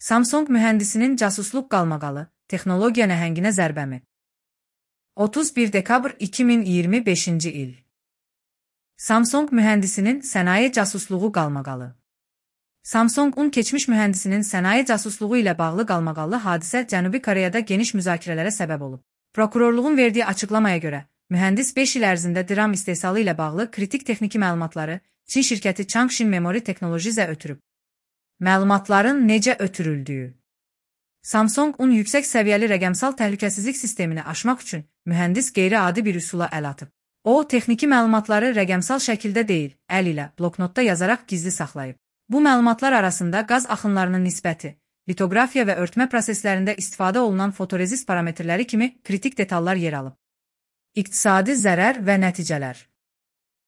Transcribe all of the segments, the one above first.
Samsung mühəndisinin casusluq qalmaqalı, texnologiya nəhənginə zərbəmi? 31 dekabr 2025-ci il. Samsung mühəndisinin sənaye casusluğu qalmaqalı. Samsung-un keçmiş mühəndisinin sənaye casusluğu ilə bağlı qalmaqallı hadisə Cənubi Koreyada geniş müzakirələrə səbəb olub. Prokurorluğun verdiyi açıqlamaya görə, mühəndis 5 il ərzində DRAM istehsalı ilə bağlı kritik texniki məlumatları Çin şirkəti Changshin Memory Technologies-ə ötürüb. Məlumatların necə ötürüldüyü. Samsung-un yüksək səviyyəli rəqəmsal təhlükəsizlik sistemini aşmaq üçün mühəndis qeyri-adi bir üsula əl atıb. O, texniki məlumatları rəqəmsal şəkildə deyil, əl ilə, bloknotda yazaraq gizli saxlayıb. Bu məlumatlar arasında qaz axınlarının nisbəti, litografiya və örtmə proseslərində istifadə olunan fotorezist parametrləri kimi kritik detallar yer alıb. İqtisadi zərər və nəticələr.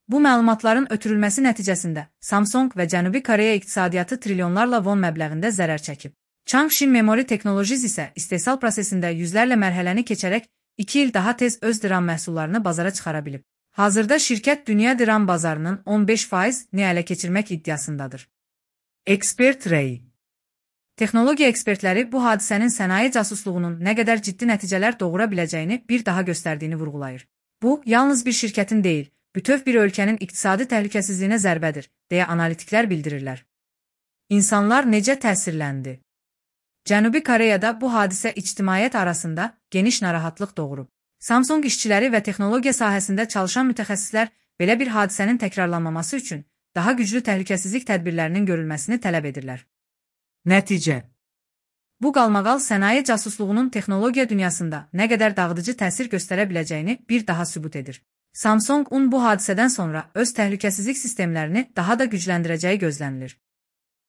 Bu məlumatların ötürülməsi nəticəsində Samsung və Cənubi Koreya iqtisadiyyatı trilyonlarla won məbləğində zərər çəkib. Changshin Memory Technologies isə istehsal prosesində yüzlərlə mərhələni keçərək 2 il daha tez öz DRAM məhsullarını bazara çıxara bilib. Hazırda şirkət dünya DRAM bazarının 15%-ni ələ keçirmək iddiasındadır. Ekspert rəyi. Texnologiya ekspertləri bu hadisənin sənaye casusluğunun nə qədər ciddi nəticələr doğura biləcəyini bir daha göstərdiyini vurğulayır. Bu, yalnız bir şirkətin deyil, bütöv bir ölkənin iqtisadi təhlükəsizliyinə zərbədir, deyə analitiklər bildirirlər. İnsanlar necə təsirləndi? Cənubi Koreyada bu hadisə ictimaiyyət arasında geniş narahatlıq doğurub. Samsung işçiləri və texnologiya sahəsində çalışan mütəxəssislər belə bir hadisənin təkrarlanmaması üçün daha güclü təhlükəsizlik tədbirlərinin görülməsini tələb edirlər. Nəticə. Bu qalmaqal sənaye casusluğunun texnologiya dünyasında nə qədər dağıdıcı təsir göstərə biləcəyini bir daha sübut edir. Samsung-un bu hadisədən sonra öz təhlükəsizlik sistemlərini daha da gücləndirəcəyi gözlənilir.